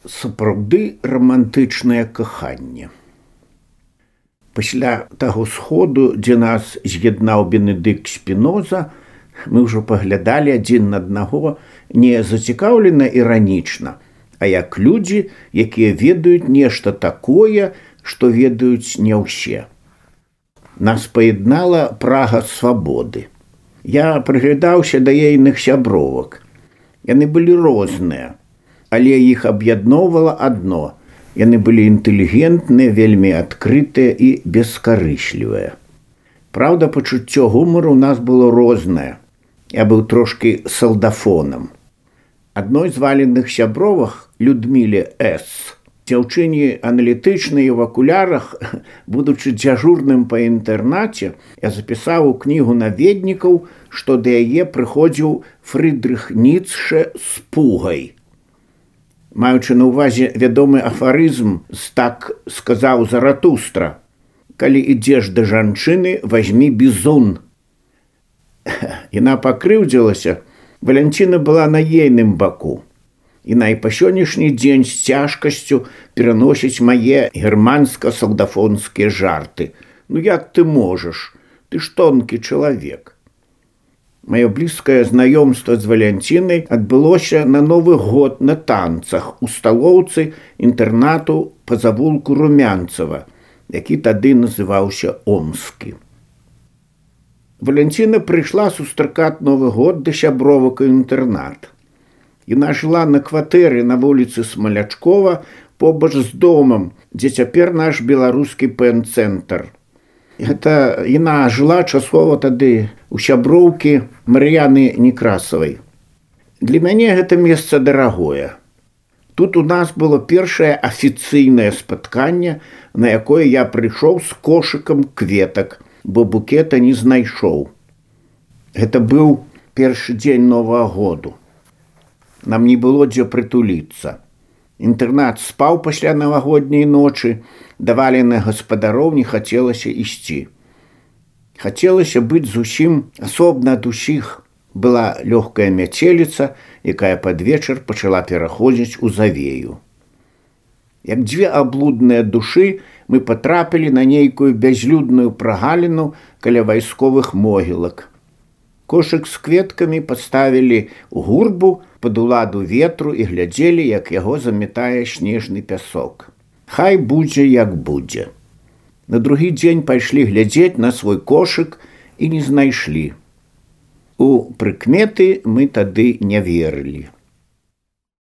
сапраўды рамантычнае каханне. Пасля таго сходу, дзе нас з'яднаў Бенедыкт Спіноза, мы ўжо паглядалі адзін на аднаго не зацікаўлена іранічна, а як людзі, якія ведаюць нешта такое, што ведаюць не ўсе. Нас паяднала прага свабоды. Я прыглядаўся да ейных сябровак. Яны былі розныя, але іх аб'ядноўвала адно. Яны былі інтэлігентныя, вельмі адкрытыя і бескарыслівыя. Праўда, пачуццё гумару ў нас было рознае. Я быў трошкі салдафонам. Адной з валеных сябровах, Людміле С., дзяўчыне аналітычнай в акулярах, будучы дзяжурным па інтэрнаце, я запісаў у кнігу наведнікаў, што да яе прыходзіў Фрыдрых Ніцшэ з пугай. Маючы на ўвазе вядомы афарызм з «Так сказаў Заратустра», «Калі ідзеш да жанчыны, вазьмі бізун». Яна пакрыўдзілася, Валянціна была на ейным баку. Яна і па сённяшні дзень з цяжкасцю пераносіць мае германска-салдафонскія жарты. Ну як ты можаш? Ты ж тонкі чалавек. Маё блізкае знаёмства з Валянцінай адбылося на Новы год на танцах у сталоўцы інтэрнату па завулку Румянцева, які тады называўся Омскі. Валянціна прыйшла сустракаць Новы год да сябровак у інтэрнат. Яна жыла на кватэры на вуліцы Смалячкова побач з домам, дзе цяпер наш беларускі пэн-цэнтр. Яна жыла часова тады у сяброўкі Мар'яны Некрасавай. Для мяне гэта месца дарагое. Тут у нас было першае афіцыйнае спатканне, на якое я прыйшоў з кошыкам кветак, бо букета не знайшоў. Гэта быў першы дзень Новага году. Нам не было дзе прытуліцца. Інтэрнат спаў пасля навагодняй ночы, да валеных гаспадароў не хацелася ісці. Хацелася быць зусім асобна ад усіх. Была лёгкая мяцеліца, якая пад вечар пачала пераходзіць у завею. Як дзве аблудныя душы, мы патрапілі на нейкую бязлюдную прагаліну каля вайсковых могілак. Кошык з кветкамі паставілі ў гурбу пад уладу ветру і глядзелі, як яго заметае снежны пясок. Хай будзе, як будзе. На другі дзень пайшлі глядзець на свой кошык і не знайшлі. У прыкметы мы тады не верылі.